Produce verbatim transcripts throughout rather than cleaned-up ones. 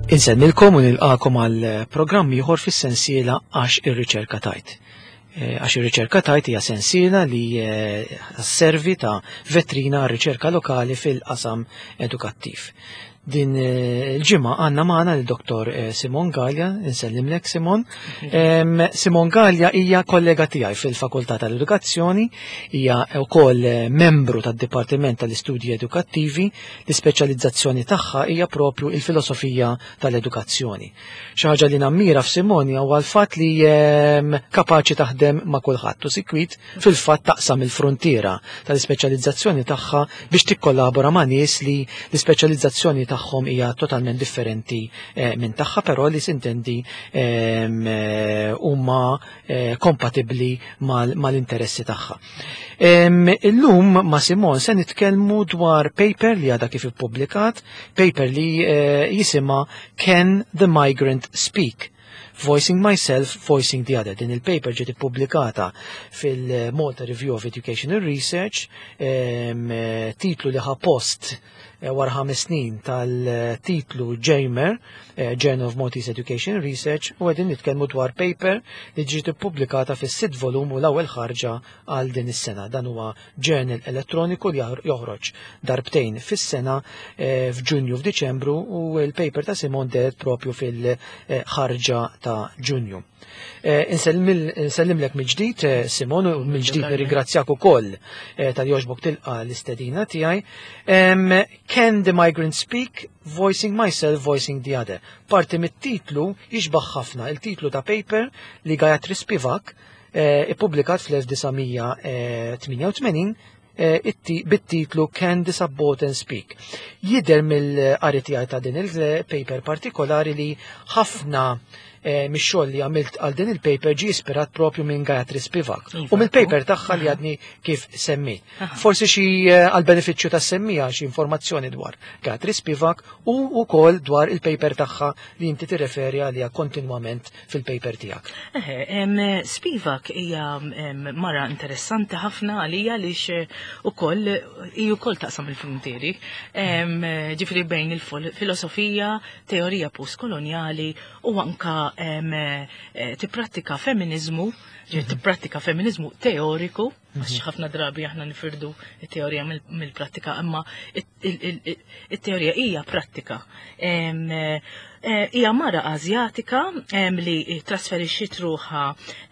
Insellmilkom u nilqakom għal programm ieħor fis-sensiela Għax ir-Riċerka Tgħid. Eh, Għax ir-Riċerka Tgħid hija sensiela li eh, servi ta' vetrina għar riċerka lokali fil-qasam edukattiv. Din eh, il-ġimgħa għandna magħna l-Dottor Simon Gallia, insellimlek Simon. Em, Simon Gallia hija kollega tiegħi fil-Fakultà tal-Edukazzjoni, hija wkoll membru tad-Dipartiment tal-Istudji Edukattivi, l-ispeċjalizzazzjoni tagħha hija propju il-filosofija tal-edukazzjoni. Xi ħaġa li nammira f'Simon huwa l-fatt li em, kapaċi taħdem ma' kulħadd u sikwit fil-fatt taqsam il-frontiera tal-ispeċjalizzazzjoni tagħha biex tikkollabora ma' nies li l-ispeċjalizzazzjoni tagħhom hija totalment differenti eh, minn tagħha, però li sintendi ehm, eh, huma eh, kompatibbli mal-interessi tagħha. Ehm, illum ma' Simon se nitkellmu dwar paper li għadha kif ippubblikat, paper li jisimha Can the Migrant Speak? Voicing Myself, Voicing the Other. Din il-paper ġiet ippubblikata fil-Malta Review of Educational Research, ehm, titlu li ħa post eh, wara ħames snin tal-titlu JMER, eh, Journal of Maltese Education Research, u qegħdin nitkellmu dwar paper li ġiet ippubblikata fis-sitt volum u l-ewwel ħarġa għal din is-sena. Dan huwa journal elettroniku li joħroġ darbtejn fis-sena eh, f'Ġunju, f'Diċembru, u l-paper ta' Simon dehret propju fil-ħarġa ta' Ġunju. Insellimlek mill-ġdid, Simon, u mill-ġdid nirringrazzjak ukoll talli għoġbok tilqa l-istedina tiegħi. Can the Migrant Speak? Voicing Myself, Voicing the Other. Parti mit-titlu jixbaħ ħafna il-titlu ta' paper li Gayatri Spivak ippubblikat fl-elf disa' mija tmienja u tmenin bit-titlu Can the Subaltern Speak? Jidher mill-qari tiegħi ta' din il-paper partikolari li ħafna mix-xogħol li għamilt għal din il-paper ġi ispirat propju minn Gayatri Spivak u mill-paper tagħha li għadni kif semmit. Forsi xi għal benefiċċju tas-semmiegħa xi informazzjoni dwar Gayatri Spivak u wkoll dwar il-paper tagħha li inti tirreferi għaliha kontinwament fil-paper tiegħek. Eħe, Spivak hija mara interessanti ħafna għalija għaliex ukoll hi wkoll taqsam il-frontieri. Ġifieri bejn il-filosofija, teorija postkoloniali u anka tipprattika feminizmu, tipprattika feminizmu teoriku, għax ħafna drabi aħna nifirdu it-teorija mill-prattika, imma it-teorija hija prattika. Hija mara Azjatika li trasferixxiet ruħha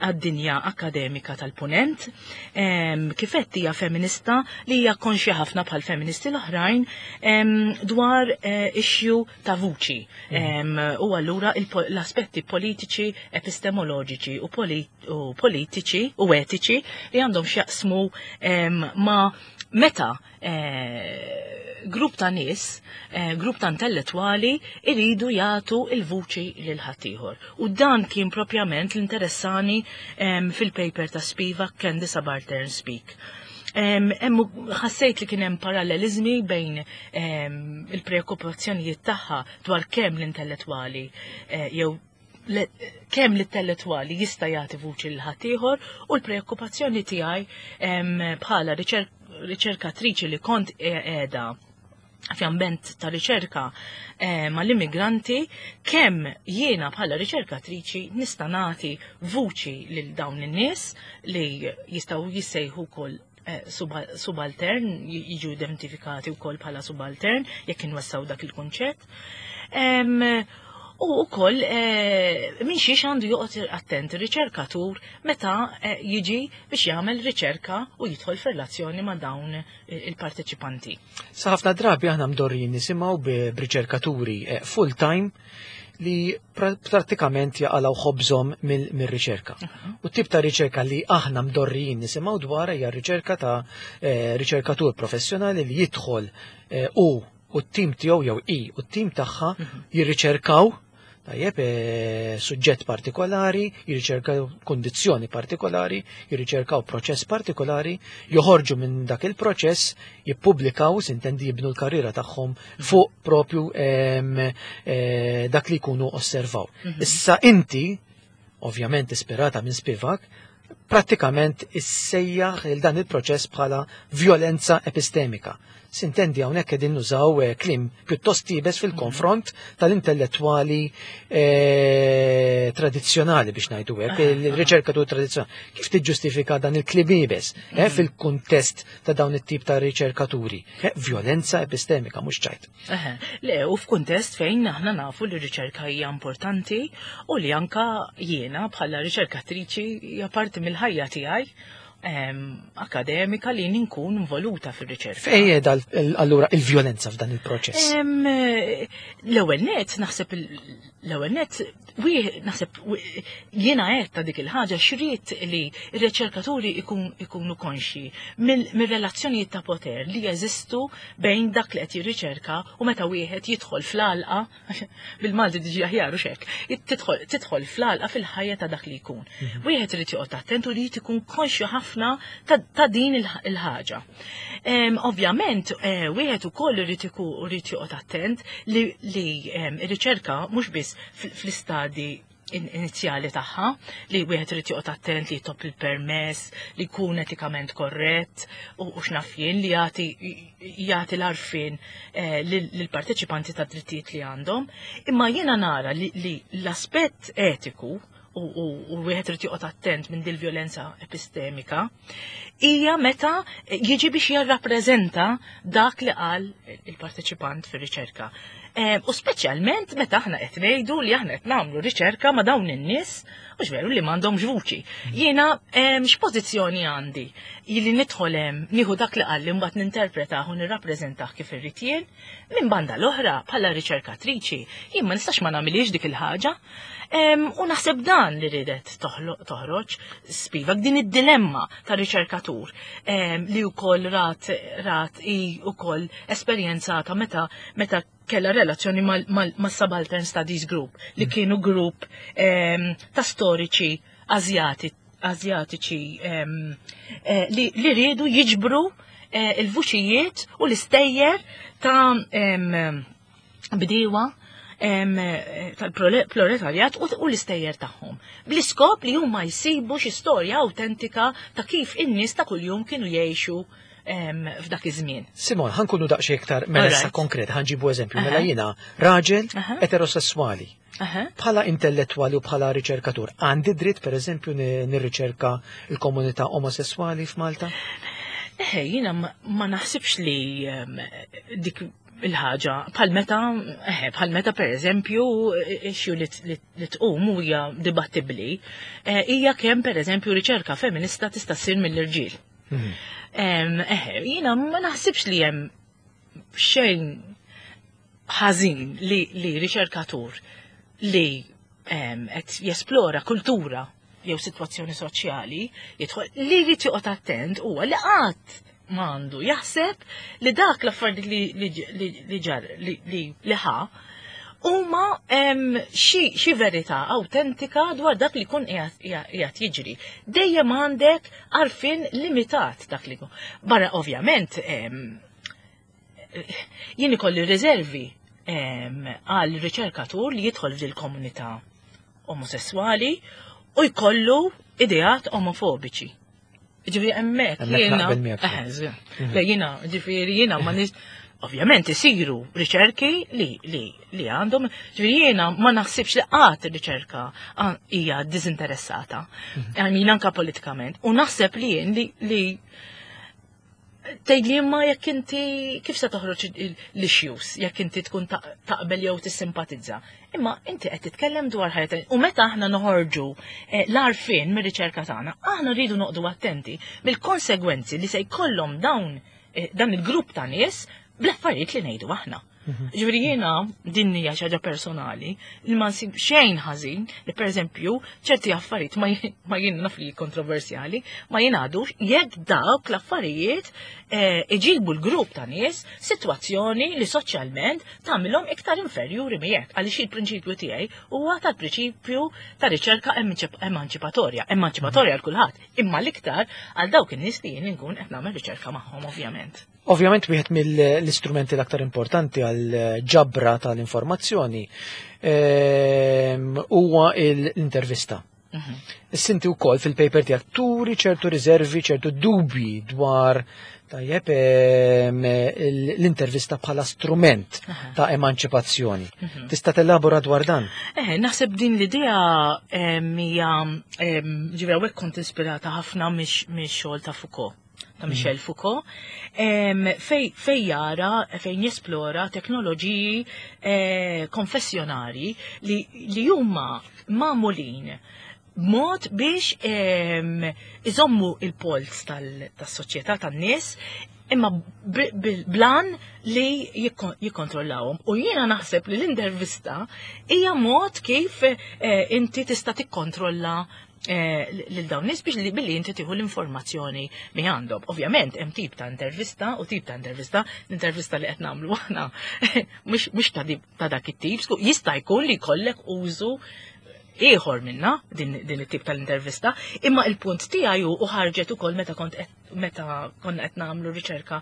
għad-dinja akademika tal-Punent. Kif għedt, hija feminista li hija konxja ħafna bħal feministi l-oħrajn dwar issue ta' vuċi. U allura l-aspetti politiċi, epistemoloġiċi u politiċi u etiċi li għandhom x'jaqsmu ma' meta grupp ta' nies, grupp ta' intellettwali iridu jagħtu il-vuċi lil ħaddieħor. U dan kien propjament l-interessani fil-paper ta' Spivak, Can the Subaltern Speak? Emmu ħassejt li kien hemm parallelizmi bejn il-preokkupazzjonijiet tagħha dwar kemm l-intellettwali jew kemm l-intellettwali jista' jagħti vuċi lil ħaddieħor u l-preokkupazzjoni tiegħi bħala riċerkatriċi li kont qiegħda f'ambjent ta' riċerka eh, mal-immigranti, kemm jiena bħala riċerkatriċi nista' nagħti vuċi lil dawn in-nies li jistgħu jissejħu wkoll eh, subaltern, jiġu identifikati wkoll bħala subaltern jekk inwessaw dak il-kunċett. U wkoll eh, minn xiex għandu joqgħod attent ir-riċerkatur meta eh, jiġi biex jagħmel riċerka u jidħol f'relazzjoni ma' dawn il-parteċipanti. Sa ħafna drabi aħna mdorrijin nisimgħu b'riċerkaturi eh, full-time li prattikament jaqalgħu ħobżhom mill-riċerka. U tip ta' riċerka li aħna mdorrijin nisimgħu dwar hija riċerka ta' riċerkatur professjonali li jidħol u u t-tim tiegħu jew i u t-tim tagħha mhm. jirriċerkaw tajjeb e, suġġett partikolari, jirriċerkaw kondizzjoni partikolari, jirriċerkaw proċess partikolari, joħorġu minn dak il-proċess, jippubblikaw, sintendi jibnu l-karriera tagħhom mhm. fuq propju e, dak li jkunu osservaw. Mhm. Issa inti, ovvjament ispirata minn Spivak, prattikament issejjaħ il dan il-proċess bħala violenza epistemika. Sintendi hawnhekk qegħdin nużaw eh, kliem pjuttost iebes fil-konfront tal-intellettwali eh, tradizzjonali biex ngħidu hekk, il-riċerkatur tradizzjonali. Kif tiġġustifika dan il-kliem iebes eh, fil-kuntest ta' dawn it-tip ta' riċerkaturi? Vjolenza epistemika mhux ċajt. Le, u f'kuntest fejn aħna nafu li r-riċerka hija importanti u li anka jiena bħala riċerkatriċi hija parti mill-ħajja tiegħi akademika li ninkun involuta fir-riċerka. Fejn qiegħda allura il-vjolenza f'dan il-proċess? L-ewwel net naħseb l-ewwel net naħseb jiena qed ta' dik il-ħaġa xrid li r-riċerkaturi ikunu konxi mir-relazzjonijiet ta' poter li jeżistu bejn dak li qed jirriċerka u meta wieħed jidħol fl-għalqa bil-Malti diġi aħjar u xek, tidħol fl-għalqa fil-ħajja ta' dak li jkun. Wieħed irid joqgħod attent u li jkun konxju ħafna ta' din il-ħaġa. Ovvjament, wieħed ukoll irid joqgħod attent li r-riċerka mhux biss fl-istadi inizjali tagħha, li wieħed irid joqgħod attent li jitlob il-permess, li jkun etikament korrett u x'naf jien li jagħti jagħti l-għarfien lill-parteċipanti tad drittijiet li għandhom. Imma jiena nara li l-aspett etiku u wieħed irid joqgħod attent minn dil vjolenza epistemika hija meta jiġi biex jirrappreżenta dak li qal il-parteċipant fir-riċerka. U speċjalment meta aħna qed ngħidu li aħna qed nagħmlu riċerka ma' dawn in-nies mhux veru li m'għandhomx vuċi. Jiena x'pożizzjoni għandi li nidħol hemm nieħu dak li qal li mbagħad ninterpretah u nirrappreżentah kif irrid jien, minn banda l-oħra bħala riċerkatriċi jien ma nistax ma nagħmilix dik il-ħaġa. U naħseb dan li ridet toħroġ Spivak din id-dilemma ta' riċerkatur li wkoll rat rat i wkoll esperjenzata meta meta kella relazzjoni mal-Subaltern Studies Group li kienu grupp ta' storiċi Azjatiċi li riedu jiġbru il-vuċijiet u l-istejjer ta' bdiewa tal-proletarjat u l-istejjer tagħhom. Bl-iskop li huma jsibu xi storja awtentika ta' kif in-nies ta' kuljum kienu jgħixu f'dak iż-żmien. Simon, ħankunu daqsxejn iktar mela issa konkret, ħanġibu eżempju, mela jiena raġel eterosessuali. Bħala intellettwali u bħala riċerkatur, għandi dritt pereżempju nirriċerka l-komunità omosessuali f'Malta? Eħe, jiena ma naħsibx li dik il-ħaġa bħal meta eħe, bħal meta pereżempju issue li tqum hija dibattibbli, hija kemm pereżempju riċerka feminista tista' ssir mill-irġiel. Eħe, jiena ma naħsibx li hemm xejn ħażin li riċerkatur li qed jesplora kultura jew sitwazzjoni soċjali jidħol li jrid joqgħod attent huwa li qatt m'għandu jaħseb li dak l-affarijiet li ġar li ħa huma xi verità awtentika dwar dak li jkun qiegħed jiġri. Dejjem għandek għarfien limitat dak li jkun. Barra ovvjament jien ikolli riservi għal riċerkatur li jidħol f'dil komunità omosessuali u jkollu ideat omofobiċi. Ġifieri hemmhekk jiena. Le jiena, ġifieri jiena ma nis. Ovvjament isiru riċerki li li li għandhom, ġifieri jiena ma naħsibx li qatt ir-riċerka hija diżinteressata. Jien anke politikament. U naħseb li jien li tgħid li imma jekk inti kif se toħroġ l-issues, jekk inti tkun taqbel jew tissimpatizza. Imma inti qed titkellem dwar ħajja u meta aħna noħorġu l-għarfien mir-riċerka tagħna, aħna rridu noqogħdu attenti mill-konsegwenzi li se jkollhom dawn dan il-grupp ta' nies bl-affarijiet li ngħidu aħna. Ġifieri jiena din hija xi ħaġa personali li ma nsib xejn ħażin li pereżempju ċerti affarijiet ma jien naf li kontroversjali ma jingħadux jekk dawk l-affarijiet iġibu l-grupp ta' nies sitwazzjoni li soċjalment tagħmilhom iktar inferjuri miegħek għaliex il-prinċipju tiegħi huwa tal-prinċipju ta' riċerka emanċipatorja, emanċipatorja għal kulħadd, imma l-iktar għal dawk in-nies li jien inkun qed nagħmel riċerka magħhom ovvjament. Ovvjament wieħed mill-istrumenti l-aktar importanti għal ġabra tal-informazzjoni huwa l-intervista. Mhm. Issa inti wkoll fil-paper tiegħek turi ċertu riservi, ċertu dubji dwar, tajjeb, em, l-intervista bħala strument ta' emanċipazzjoni. Mhm. Tista' telabora dwar dan? Eh, naħseb din l-idea em, hija em, ġifieri hawnhekk kont ispirata ħafna mix-xogħol ta' Foucault, ta' Michel Foucault, em, fej, fej jara, fejn jesplora teknoloġiji eh, konfessjonari li, li huma magħmulin b'mod biex em, iżommu il-pols tas-soċjetà tan-nies, imma b- bil- blan li jikkon- jikkontrollawhom. U jiena naħseb li l-intervista hija mod kif eh, inti tista' tikkontrolla eh, lil dawn nies biex li billi inti tieħu l-informazzjoni mi għandhom. Ovvjament hemm tip ta' intervista u tip ta' intervista, l-intervista li qed nagħmlu aħna mhux mhux ta' di- ta' dak it-tip, sku- jista' jkun li jkollek użu ieħor minna din, din it-tip tal-intervista, imma il-punt tiegħi hu u ħarġet ukoll meta kont qed meta konna qed nagħmlu riċerka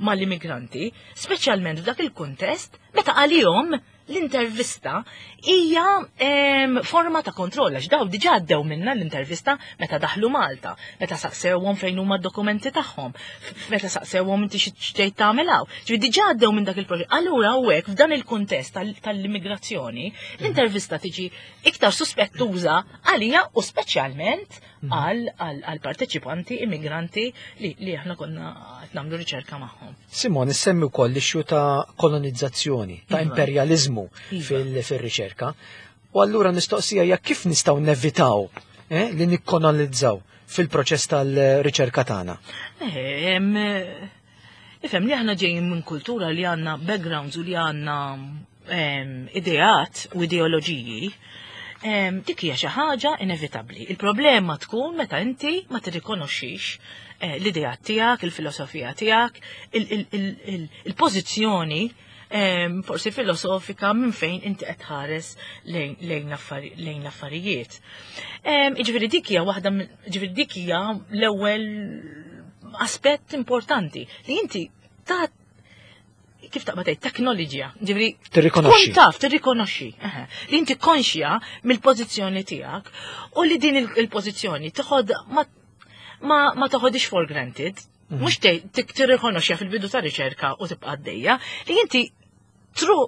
mal-immigranti, speċjalment f'dak il-kuntest meta għalihom l-intervista hija em, forma ta' kontroll, għax daw diġà għaddew minna l-intervista meta daħlu Malta, meta saqsewhom fejn huma d-dokumenti tagħhom, f- meta saqsewhom inti xi x'tgħid tagħmel hawn. Ġifieri diġà għaddew minn dak il-proġett. Allura hawnhekk f'dan il-kuntest tal- tal-immigrazzjoni, l-intervista tiġi iktar suspettuża għalija u speċjalment għal għal parteċipanti immigranti li, li aħna konna qed nagħmlu riċerka magħhom. Simon, issemmi wkoll l-issue ta' kolonizzazzjoni, ta' Iva. imperjalizmu Iva. fil- fil-riċerka. U allura mistoqsija hija kif nistgħu nevitaw eh, li nikkolonizzaw fil-proċess tal-riċerka tagħna. Eh, em, Ifhem li aħna ġejjin minn kultura li għandna backgrounds u li għandna em, ideat u ideoloġiji, em, dik hija xi ħaġa inevitabbli. Il-problema tkun meta inti ma tirrikonoxxix eh, l-ideat tiegħek, il-filosofija tiegħek, il-pożizzjoni em, forsi filosofika minn fejn inti qed tħares lejn lejn l-affari- lejn l-affarijiet. Em, Jiġifieri dik hija waħda minn- jiġifieri dik hija l-ewwel aspett importanti li inti ta' kif taqbad tgħid teknoloġija, ġifieri Tirrikonoxxi. tkun taf, tirrikonoxxi, eħe, li inti konxja mill-pożizzjoni tiegħek u li din il- il-pożizzjoni toħod ma ma, ma toħodix for granted, mhux tgħid tirrikonoxxija fil-bidu ta' riċerka u tibqa' għaddejja, li inti tru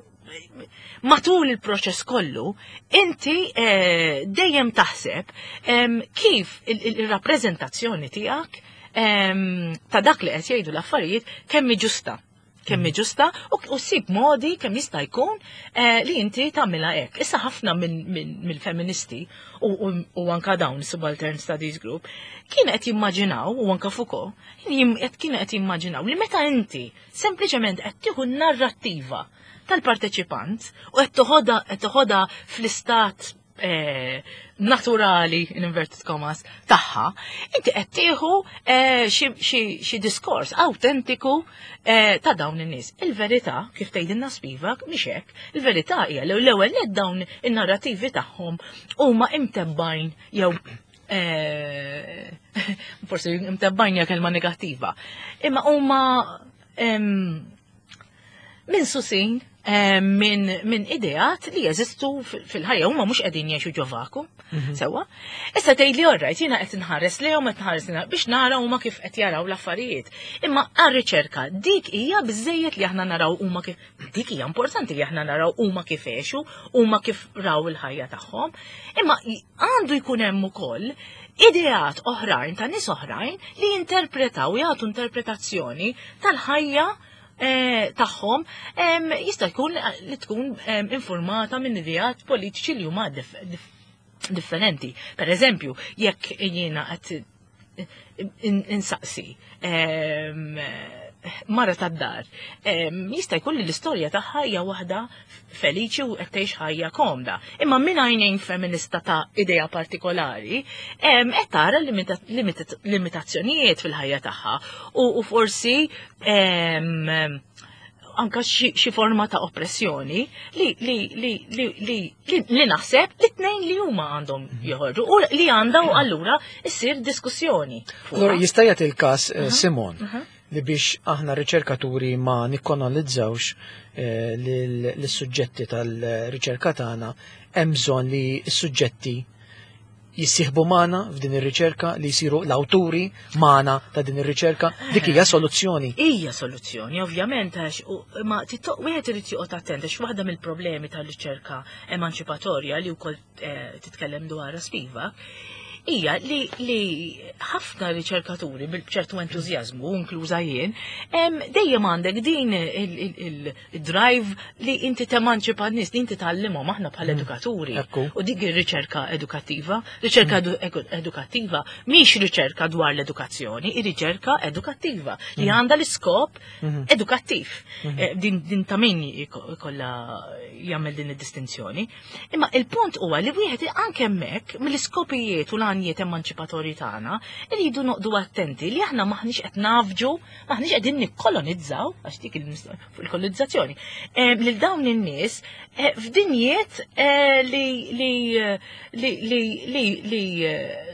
matul il-proċess kollu, inti eh, dejjem taħseb em, kif il- il- il-rappreżentazzjoni tiegħek em, ta' dak li qed jgħidu l-affarijiet kemm hi ġusta. Kemm hi ġusta u, u ssib modi kemm jista' jkun eh, li inti tagħmilha hekk. Issa ħafna minn min, mill-feministi u, u, u anka dawn Subaltern Studies Group kien qed jimmaġinaw, u anka Foucault, jim- qed kienu qed jimmaġinaw li meta inti sempliċement qed tieħu narrattiva tal-parteċipant u qed toħodha qed toħodha fl-istat eh, naturali, in inverted commas, tagħha, inti qed tieħu eh, xi- xi xi diskors autentiku eh, ta' dawn in-nies. Il-verità, kif tgħidilna Spivak, mhix hekk. Il-verità hija li l-ewwel net dawn in-narrativi tagħhom huma imtebbajn jew eh, forsi imtebbajn hija kelma negattiva. Imma huma em, minn susin eh, minn min ideat li jeżistu fil-ħajja, huma mhux qegħdin jgħixu ġo vacuum. Sewwa. Issa tgħid li orrajt, jiena qed inħares lejhom, qed inħares lejhom biex nara huma kif qed jaraw l-affarijiet. Imma għar-riċerka dik hija biżejjed li aħna naraw huma kif, dik hija importanti li aħna naraw huma kif għexu, huma kif raw il-ħajja tagħhom. Imma għandu jkun hemm ukoll ideat oħrajn ta' nies oħrajn li jinterpretaw, jagħtu interpretazzjoni tal-ħajja eh, tagħhom, em, jista' jkun li tkun em, informata minn ideat politiċi li huma dif dif differenti. Per eżempju, jekk jiena qed insaqsi em, mara tad-dar, em, jista' jkun li l-istorja tagħha hija waħda feliċi u qed tgħix ħajja komda. Imma minn għajnejn feminista ta' idea partikolari, em, qed tara limita- limita- limitazzjonijiet fil-ħajja tagħha u, u forsi em, anka xi xi forma ta' oppressjoni li li li li li li, li naħseb li tnejn li huma għandhom joħorġu u li għandha u allura issir diskussjoni. fuqha. Allura jista' jagħti il-każ, eh, Simon, li biex aħna riċerkaturi ma nikkolonizzawx eh, lis-suġġetti tal-riċerka tagħna, hemm bżonn li s-suġġetti jissieħbu magħna f'din ir-riċerka, li jsiru l-awturi magħna ta' din ir-riċerka, dik hija soluzzjoni. Hija soluzzjoni, ovvjament, għax ma wieħed irid joqgħod attent għax waħda mill-problemi tal-riċerka emanċipatorja li wkoll eh, titkellem dwarha Spivak hija li li ħafna riċerkaturi bil-ċertu entużjażmu, inkluża jien, dejjem għandek din il-drive li inti temanċipa n-nies, li inti tgħallimhom aħna bħala mm. edukaturi. U dik ir-riċerka edukattiva, riċerka mm. edukattiva mhix riċerka dwar l-edukazzjoni, ir-riċerka edukattiva li mm. għandha l-iskop mm-hmm. edukattiv. Mm-hmm. Eh, din din ta' min ikollha jagħmel din id-distinzjoni. Imma il-punt huwa li wieħed anke hemmhekk mill-iskopijiet u l-għanijiet emanċipatorji tagħna irridu noqogħdu attenti li aħna maħniex qed nafġu, maħniex qegħdin nikkolonizzaw, għax dik il-kolonizzazzjoni, eh, lil dawn in-nies eh, f'dinjiet eh, li li li li li li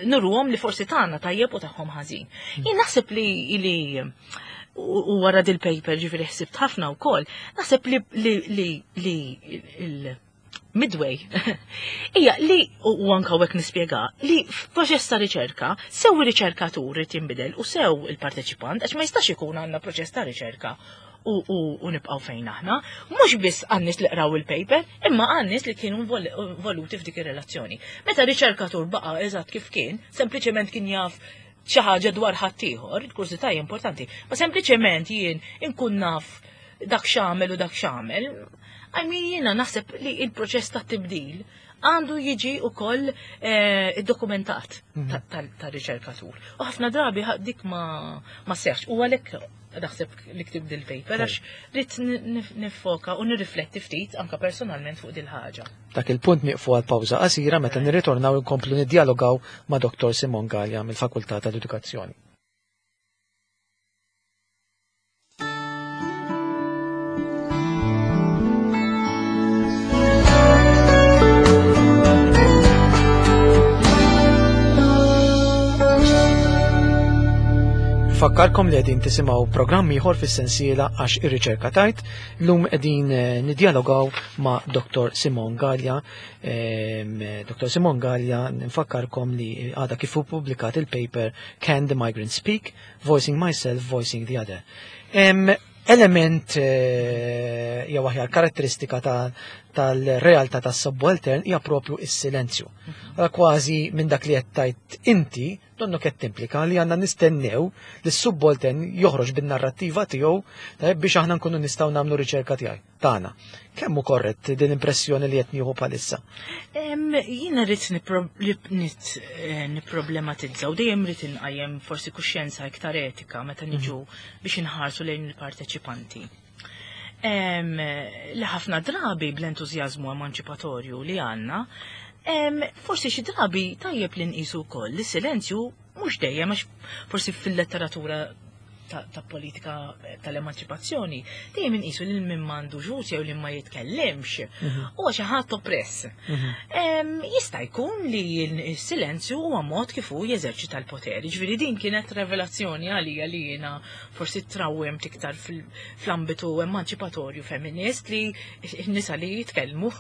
nuruhom li forsi tagħna tajjeb u tagħhom ħażin. Jien naħseb li li u wara dil-paper ġifieri ħsibt ħafna wkoll, naħseb li li li li il midway hija li u anka hekk nispjega li f'proċess ta' riċerka sew ir-riċerkatur irid jinbidel u sew il-parteċipant, għax ma jistax ikun għandna proċess ta' riċerka u, u, u nibqgħu fejn aħna, mhux biss għan-nies li qraw il-paper, imma għan-nies li kienu involuti f'dik ir-relazzjoni. Meta riċerkatur baqa' eżatt kif kien, sempliċement kien jaf xi ħaġa dwar ħaddieħor, il-kurżità hija importanti, ma sempliċement jien inkun naf dak x'għamel u dak x'għamel, I mean, jiena naħseb li il-proċess ta' tibdil għandu jiġi ukoll eh, dokumentat mhm. ta' riċerkatur. U ħafna drabi dik ma ma seħx. U għalhekk naħseb li ktibt dil-paper għax rrid nifoka u nirrifletti ftit anka personalment fuq dil-ħaġa. Dak il-punt nieqfu għal pawża qasira, meta nirritornaw inkomplu niddialogaw ma' Doktor Simone Galea mill-Fakultà tal-Edukazzjoni. Fakkarkom li qegħdin tisimgħu programm ieħor fis-sensiela Għax ir-riċerka tgħid. Llum qegħdin eh, niddialogaw ma' Doktor Simone Galea. Doktor Simone Galea, nfakkarkom li għadha kif pubblikat il-paper Can the Migrant Speak? Voicing Myself, Voicing the Other. Element eh, jew aħjar karatteristika tal-realtà tas-subaltern hija propju is-silenzju. Mhm. Kważi minn dak li qed tgħid inti donnu qed timplika li għandna nistennew li s-subaltern joħroġ bin-narrattiva tiegħu biex aħna nkunu nistgħu nagħmlu riċerka tiegħi tagħna. Kemm hu korrett din impressjoni li qed nieħu bħalissa? Jiena rrid eh, nipproblematizza u dejjem rrid inqajjem forsi kuxjenza iktar etika meta niġu mhm. biex inħarsu lejn il-parteċipanti. Li ħafna drabi bl-entużjażmu emanċipatorju li għandna, forsi xi drabi tajjeb li nqisu wkoll li silenzju mhux dejjem, għax forsi fil-letteratura ta', ta politika tal-emanċipazzjoni dejjem inqisu li min m'għandux vuċi jew li ma jitkellimx mhm. huwa xi ħadd oppress. Mhm. Jista' jkun li s-silenzju huwa mod kif hu jeżerċita l-poter. Ġifieri din kienet revelazzjoni għalija li jiena forsi trawwem iktar fl-ambitu emanċipatorju femminist, li n-nisa li jitkellmu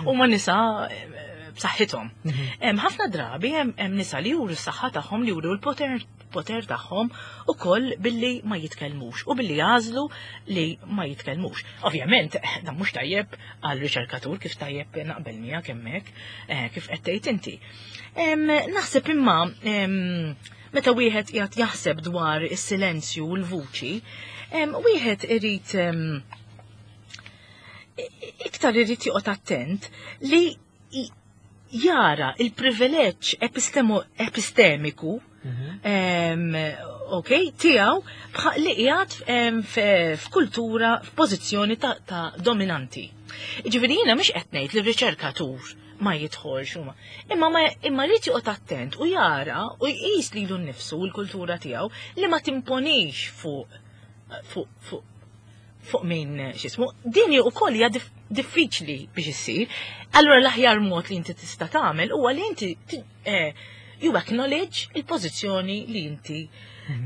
huma nisa eh, b'saħħithom. Mhm. Ħafna drabi hemm nisa li juru s-saħħa tagħhom, li juru l-poter poter tagħhom ukoll billi ma jitkellmux u billi jagħżlu li ma jitkellmux. Ovvjament, dan mhux tajjeb għal riċerkatur, kif tajjeb naqbel miegħek hemmhekk eh, kif qed tgħid inti. Naħseb imma meta wieħed qiegħed jaħseb dwar is-silenzju u l-vuċi, wieħed irid iktar irid joqgħod attent li jara il-privileġġ epistemiku mhm. ok, tiegħu li qiegħed f'kultura, f'pożizzjoni ta', ta dominanti. Ġifieri jiena mhux qed ngħid li r-riċerkatur ma jidħolx huma. Imma ma imma rrid joqgħod attent u jara u jqis lilu nnifsu u l-kultura tiegħu li ma timponix fuq fuq fuq fuq min x'ismu. Din ukoll hija diffiċli biex issir. Allura l-aħjar mod li inti tista' tagħmel huwa li inti eh, you acknowledge il-pożizzjoni li inti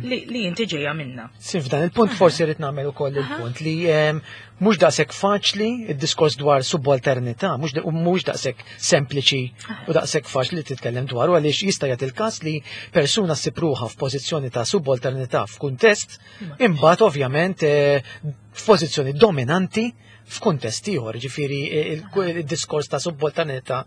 li, li inti ġejja minna. Sin f'dan il-punt forsi rrid nagħmel ukoll il-punt li em, mhux daqshekk faċli id-diskors dwar subalternità, mhux u mhux daqshekk sempliċi u daqshekk faċli li titkellem dwaru, għaliex jista' jagħti il-każ li persuna ssib ruħha f'pożizzjoni ta' subalternità f'kuntest, imbagħad ovvjament eh, f'pożizzjoni dominanti f'kuntest ieħor, ġifieri il-diskors ta' subalternità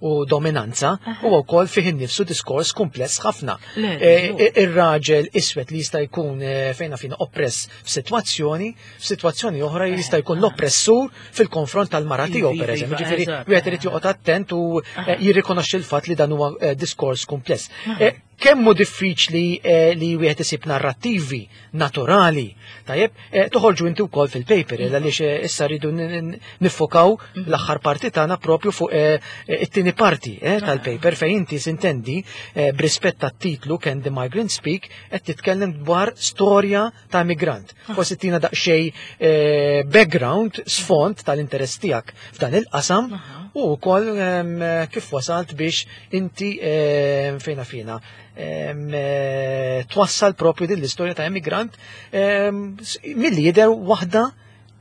u dominanza huwa wkoll fih innifsu diskors kumpless ħafna. Le, Eh, żgur. Ir-raġel iswed li jista' jkun eh, fejna fina oppress f'sitwazzjoni, f'sitwazzjoni oħra jista' jkun l-oppressur fil-konfront tal-mara tiegħu Iva, pereżempju. iva, Ġifieri eżatt. wieħed irid joqgħod attent u eh, jirrikonoxxi l-fatt li dan huwa eh, diskors kumpless. Eh, Kemm hu diffiċli eh, li wieħed isib narrattivi naturali, tajjeb, eh, toħorġu inti wkoll fil-paper, eh, għaliex eh, issa rridu n- n- niffokaw l-aħħar parti tagħna propju fuq eh, eh, it-tieni parti eh, tal-paper, fejn inti sintendi eh, b'rispett tat-titlu "Can the Migrant Speak" qed titkellem dwar storja ta' immigrant. Forsi tina daqsxejn eh, background, sfond tal-interess tiegħek f'dan il-qasam u wkoll em, kif wasalt biex inti em, fejna fina em, eh, twassal propju din l-istorja ta' immigrant em, s- milli jidher waħda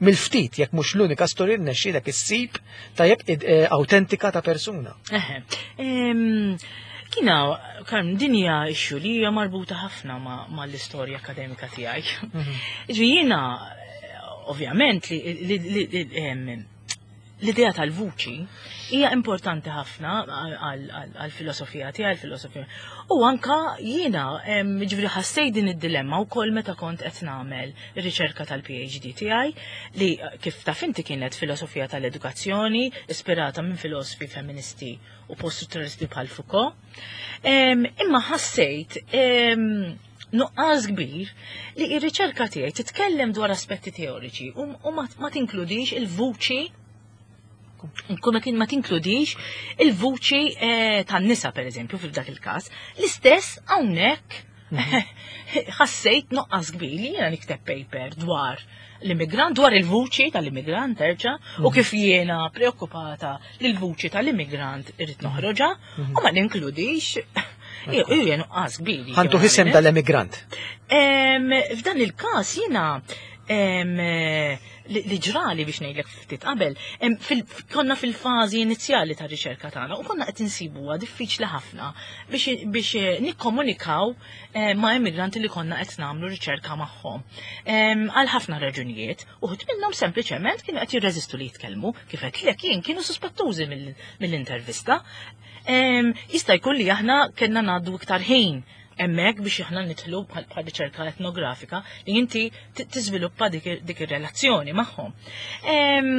mill-ftit, jekk mhux l-unika storja li rnexxielek issib tajjeb id- eh, autentika ta' persuna. Eħe. Em, Kina, kan dinja issue li hija marbuta ħafna ma, ma l-istorja akademika tiegħi. Ġifieri jiena, eh, ovvjament, li, li, li, li, em, l-idea tal-vuċi hija importanti ħafna għal-filosofija tiegħi, għal-filosofija. U anka jiena em, ġifieri ħassejt din id-dilemma wkoll meta kont qed nagħmel ir-riċerka tal-P H D tiegħi, li eh, kif taf inti kienet filosofija tal-edukazzjoni ispirata minn filosofi femministi u post-strutturalisti bħal Foucault. Em, Imma ħassejt em, nuqqas kbir li ir-riċerka tiegħi titkellem dwar aspetti teoriċi u, u ma, ma tinkludix il-vuċi, Nkun ma tin- ma tinkludix il-vuċi eh, tan-nisa, per eżempju, fil-dak il-każ. L-istess hawnhekk ħassejt nuqqas kbir li jiena nikteb paper dwar l-immigrant, dwar il-vuċi tal-immigrant terġa', u kif jiena preokkupata li l-vuċi tal-immigrant irrid noħroġha u ma ninkludix. Iju, jiena nuqqas kbir. Ħa ntuh isem dal-emigrant. Em, F'dan il-każ jiena em, li li ġrali, biex ngħidlek ftit qabel, em, fil- konna fil-fażi inizjali ta' riċerka tagħna u konna qed insibuha diffiċli ħafna biex biex eh, nikkomunikaw eh, ma' immigranti li konna qed nagħmlu riċerka magħhom. Em, Għal ħafna raġunijiet, uħud minnhom sempliċement kienu qed jirreżistu li jitkellmu, kif qed lek jien kienu suspettużi mill- mill-intervista. Em, Jista' jkun li aħna kellna ngħaddu iktar ħin hemmhekk biex aħna nidħlu bħal bħal riċerka etnografika li inti ti- tiżviluppa dik dik ir-relazzjoni magħhom. Em,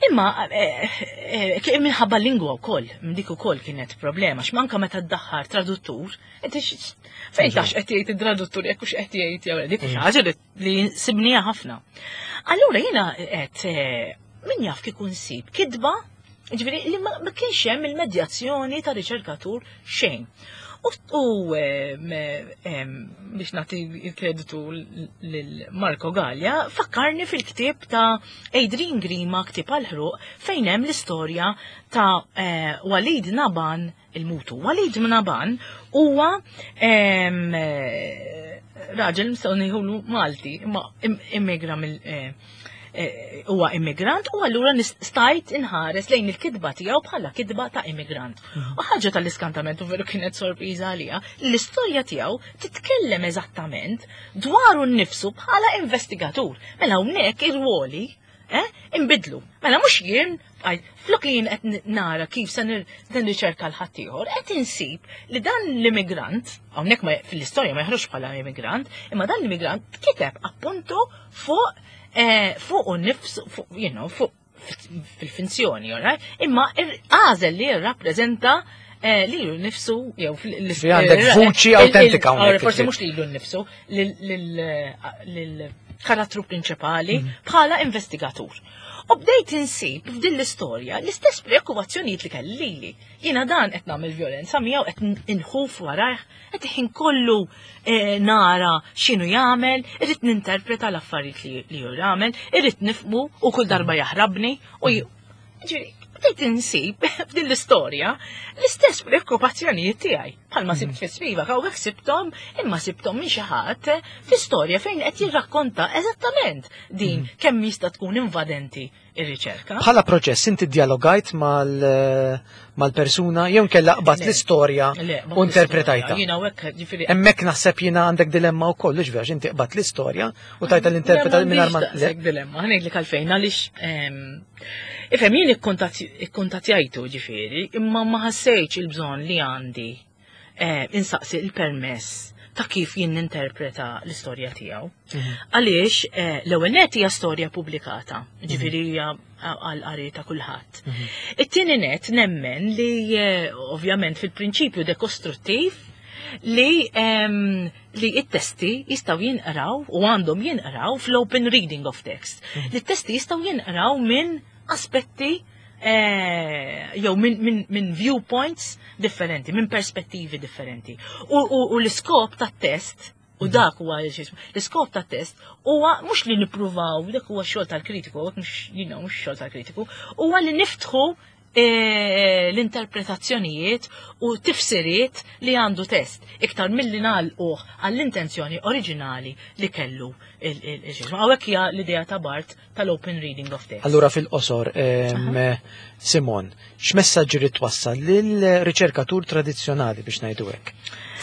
Imma eh, eh, kien minħabba lingwa wkoll, dik ukoll kienet problema, x'manka meta ddaħħar traduttur, inti x- fejn tax qed jgħid id-traduttur jekk hux qed jgħid jew le, dik xi ħaġa li- li sibnija ħafna. Allura jiena qed eh, min jaf kieku nsib kitba, ġifieri li ma ma kienx hemm il-medjazzjoni ta' riċerkatur xejn. U, u em, em, biex nagħti il-kreditu lil Marco Gallia, fakkarni fil-ktieb ta' Adrian Grima, Ktieb għall-Ħruq, fejn hemm l-istorja ta' eh, Walid Naban il-Mutu. Walid Naban huwa em, eh, raġel nistgħu ngħidulu Malti, imma im- immigra mill eh, eh, huwa immigrant u allura stajt inħares lejn il-kitba tiegħu bħala kitba ta' immigrant. U ħaġa tal-iskantament, u veru kienet sorpriża għalija, l-istorja tiegħu titkellem eżattament dwaru nnifsu bħala investigatur. Mela hawnhekk ir-ruoli eh, imbidlu. Mela mhux jien għaj, flok li jien qed nara kif se nir- nirriċerka l-ħaddieħor, qed insib li dan l-immigrant, hawnhekk ma fil-istorja ma jeħroġ bħala immigrant, imma dan l-immigrant kiteb appunto fuq eh, fuq u nifsu, fuq, you know, fuq fil-finzjoni, alright? Imma għażel li jirrappreżenta eh, lilu nnifsu, jew fil- Fi għandek il- vuċi il- autentika il- hawnhekk, Forsi ġifieri. mhux lilu nnifsu, lil-karattru prinċipali bħala investigatur. U bdejt insib f'din l-istorja l-istess preokkupazzjonijiet li kelli lili. Jiena dan qed nagħmel violenza miegħu, qed inħuf warajh, qed ħin kollu eh, nara x'inhu jagħmel, irrid ninterpreta l-affarijiet li li hu jagħmel, irrid nifhmu u kull darba jaħrabni u j- ġifieri, Bdejt insib f'din l-istorja l-istess preokkupazzjonijiet tiegħi. Bħalma sibt fi Spivak, hawnhekk sibthom, imma sibthom minn xi ħadd fi storja fejn qed jirrakkonta eżattament din kemm jista' tkun invadenti ir-riċerka. Bħala proċess inti dialogajt mal-persuna jew kella qbadt Le. l-istorja Le, u interpretajta. Jiena hawnhekk ġifieri Hemmhekk naħseb jiena għandek dilemma wkoll, hux vera, inti qbadt l-istorja u tajta l-interpreta mingħajr ma. Le. Dilemma, ħa ngħidlek għalfejn, għaliex ehm, ifhem jien ikkuntattjajtu ġifieri, imma ma ħassejtx il-bżonn li għandi eh, insaqsi il-permess ta' kif jien ninterpreta l-istorja tiegħu. Għaliex eh, l-ewwel net hija storja pubblikata, ġifieri hija għal qari ta' kulħadd. It-tieni net nemmen li eh, ovvjament fil-prinċipju dekostruttiv li em, li it-testi jistgħu jinqraw u għandhom jinqraw fl-open reading of text. Li t-testi jistgħu jinqraw minn aspetti eh, jew minn min, min viewpoints differenti, minn perspettivi differenti. U, u, u l-iskop tat-test u dak huwa l-iskop tat-test huwa mhux li nippruvaw, dak huwa xogħol tal-kritiku, mhux you know, mhux xogħol tal-kritiku, huwa li niftħu eh, l-interpretazzjonijiet u tifsiriet li għandu test iktar milli nagħlquh għall-intenzjoni oriġinali li kellu il-ġismu. Hawnhekk hija l-idea ta' Barthes tal-open reading of text. Allura fil-qosor, em, Simon, x'messaġġi rid twassal lill-riċerkatur tradizzjonali biex ngħidu hekk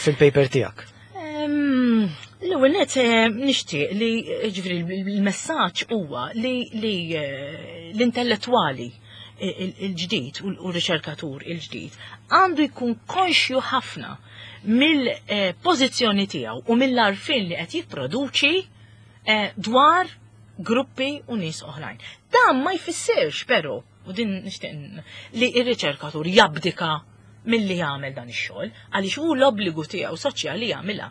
fil-paper tiegħek? Em, L-ewwel net eh, nixtieq li ġifieri l-messaġġ huwa li li eh, l-intellettwali il- il-ġdid u r-riċerkatur il-ġdid għandu jkun konxju ħafna mill-pożizzjoni tiegħu u mill-għarfien li qed jipproduċi eh, dwar gruppi u nies oħrajn. Dan ma jfissirx però, u din nixtieq li r-riċerkatur jabdika milli jagħmel dan ix-xogħol għaliex hu l-obbligu tiegħu soċjali jagħmilha.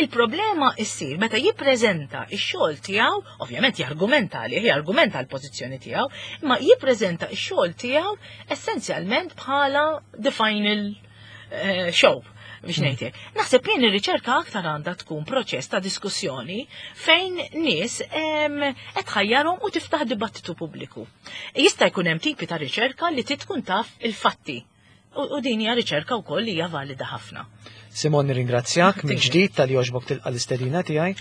Il-problema issir meta jippreżenta x-xogħol tiegħu, ovvjament jargumenta għalih, jargumenta l-pożizzjoni tiegħu, imma jippreżenta x-xogħol tiegħu essenzjalment bħala the final eh, show biex ngħidlek. Naħseb jien ir-riċerka aktar għandha tkun proċess ta' diskussjoni fejn nies em, qed tħajjarhom u tiftaħ dibattitu pubbliku. Jista' jkun hemm tipi ta' riċerka li trid tkun taf il-fatti. U u din hija riċerka wkoll li hija valida ħafna. Simon, nirringrazzjak minn ġdid talli għoġbok tilqa l-istedina tiegħi.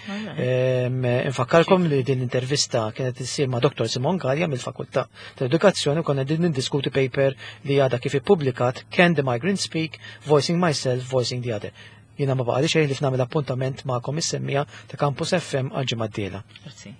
Em, Infakkarkom li din l-intervista kienet issir ma' Dottor Simon Galea mill-Fakultà tal-Edukazzjoni u konna din niddiskuti paper li għadha kif ippubblikat, Can the Migrant Speak? Voicing Myself, Voicing the Other. Jiena ma baqali xejn ħlief nagħmel appuntament magħkom is-semmiegħa ta' Campus F M għal ġimgħa d-dieħla. Grazzi.